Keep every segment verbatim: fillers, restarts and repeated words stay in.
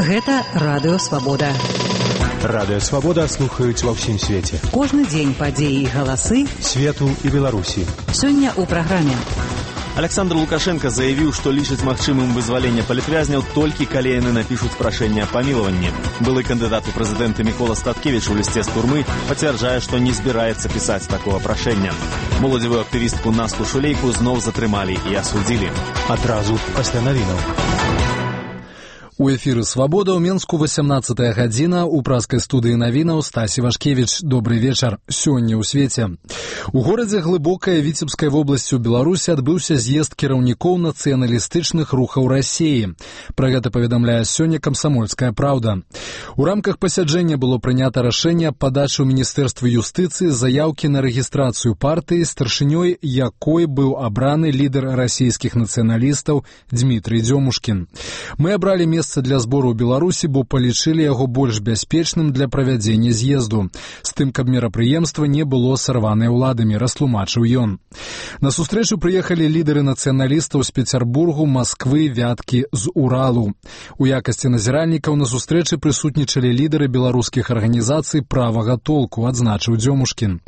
Гэта Радыё Свабода. Радыё Свабода слухаюць ва ўсім свеце. Кожны дзень падзеі і галасы свету і Беларусі. Сёння ў праграме. Александр Лукашенко заявіў, што лічыць магчымым вызваленне палітвязняў толькі калі яны напішуць прашэнне аб памілаванні. Былы кандыдат у прэзідэнты Мікола Статкевіч у лісце з турмы пацвярджае, што не збіраецца пісаць такога прашэння. Моладзевую актывістку Насту Шулейку зноў затрымалі і асудзілі. Адразу пасля навінаў. У эфіры «Свабода» ў Менску восемнадцатая гадзіна, у праскай студыі навінаў Стасі Вашкевіч. Добрый вечар. Сёння ў свеце. У горадзе Глыбокая Віцебскай вобласці ў Беларусі адбыўся з'езд кіраўнікоў нацыяналістычных рухаў Расіі. Пра гэта паведамляе сёння «Камсамольская праўда». У рамках пасяджэння было прынята рашэнне аб падачы ў Міністэрстве юстыцыі заяўкі на рэгістрацыю партыі, старшынёй якой быў абраны лідар расійскіх нацыяналістаў Дмітрый Дзёмушкін. Мы абралі месца для збору ў Беларусі, бо палічылі яго больш бяспечным для правядзення з'езду. З тым, каб мерапрыемства не было сарванае ўладамі, растлумачыў ён. На сустрэчу прыехалі лідары нацыяналістаў з Пецярбургу, Масквы, Вяткі, з Уралу. У якасці назіральнікаў на сустрэчы прысутнічалі лідары беларускіх арганізацый правага толку, адзначыў Дзёмушкін.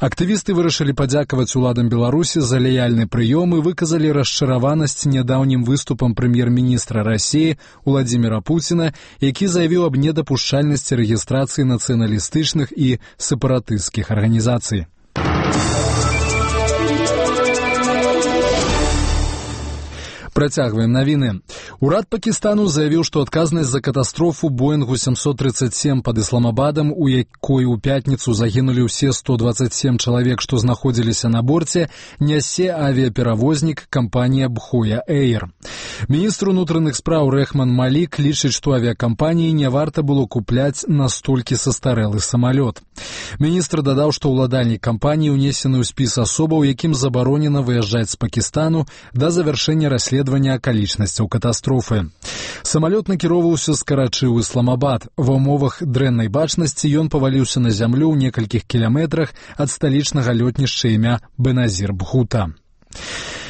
Актывісты вырашылі падзякаваць уладам Беларусі за лаяльны прыём і выказалі расчараванасць нядаўнім выступам прэм'ер-міністра Расіі Владзіміра Пуціна, які заявіў аб недапушчальнасці рэгістрацыі нацыяналістычных і сепаратысцкіх арганізацый. Працягваем навіны. Урад Пакістану заявіў, што адказнасць за катастрофу Боингу сямсот тридцать семь пад Ісламабадам, у якой у пятніцу загінулі ўсе сто двадцать семь чалавек, што знаходзіліся на борце, нясе авіаперавознік кампанія Бхоя Эйр. Міністр унутраных спраў Рэхман Малік лічыць, што авіакампаніі не варта было купляць настолькі састарэлы самалёт. Міністр дадаў, што ўладальнік кампаніі ўнесены ў спіс асобаў, якім забаронена выязджаць з Пакістану да завяршэння расследавання акалічнасцяў катастрофы. Самалёт накіроўваўся з Карачы ў Ісламабад. Ва ўмовах дрэннай бачнасці ён паваліўся на зямлю ў некалькіх кіламетрах ад сталічнага лётнішча імя Беназір Бхута.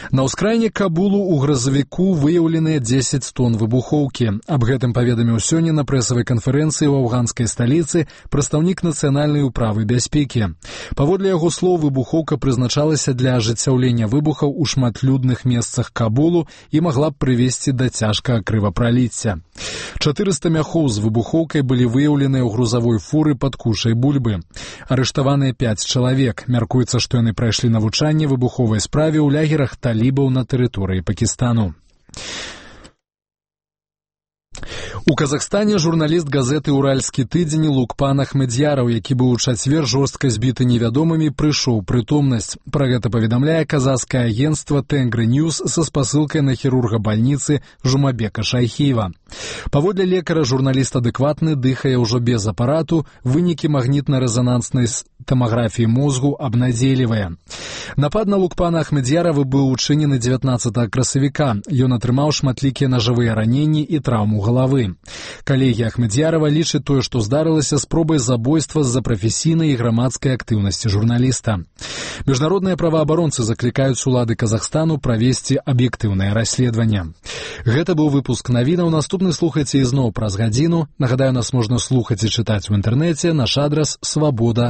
На ўскраіне Кабулу ў гразавіку выяўленыя дзесяць тонн выбухоўкі. Аб гэтым паведаміў сёння на прэсавай канферэнцыі ў афганскай сталіцы прадстаўнік нацыянальнай управы бяспекі. Паводле яго слоў, выбухоўка прызначалася для ажыццяўлення выбухаў у шматлюдных месцах Кабулу і магла б прывесці да цяжкага крывапраліцця. чатырыста мяхоў з выбухоўкай былі выяўленыя ў грузавой фуры пад кушай бульбы. Арыштаваныя пяць чалавек. Мяркуецца, што яны прайшлі навучанне выбуховай справе ў лягерах талібаў на тэрыторыі Пакістану. У Казахстане журналіст газеты «Уральскі тыдзень» Лукпан Ахмедзяраў, які быў у чацвер жорстка збіты невядомымі, прыйшоў прытомнасць. Пра гэта паведамляе казахскае агенцтва «Тэнгры Ньюс» са спасылкай на хірурга бальніцы Жумабека Шайхіева. Паводле лекара, журналіст адэкватны, дыхае ўжо без апарату, вынікі магнітна-рэзананснай томаграфіі мозгу абнадзейлівыя. Напад на Лукпана Ахмедзярава быў учынены дзевятнаццатага красавіка. Ён атрымаў шматлікія нажавыя раненні і траўму галавы. Калегі Ахмедзярава лічаць тое, што здарылася спробай забойства з-за прафесійнай і грамадскай актыўнасці журналіста. Міжнародныя праваабаронцы заклікаюць улады Казахстану правесці аб'ектыўнае расследаванне. Гэта быў выпуск навінаў. Наступны слухайце ізноў праз гадзіну. Нагадаю, нас можна слухаць і чытаць у інтэрнэце. Наш адрас свабода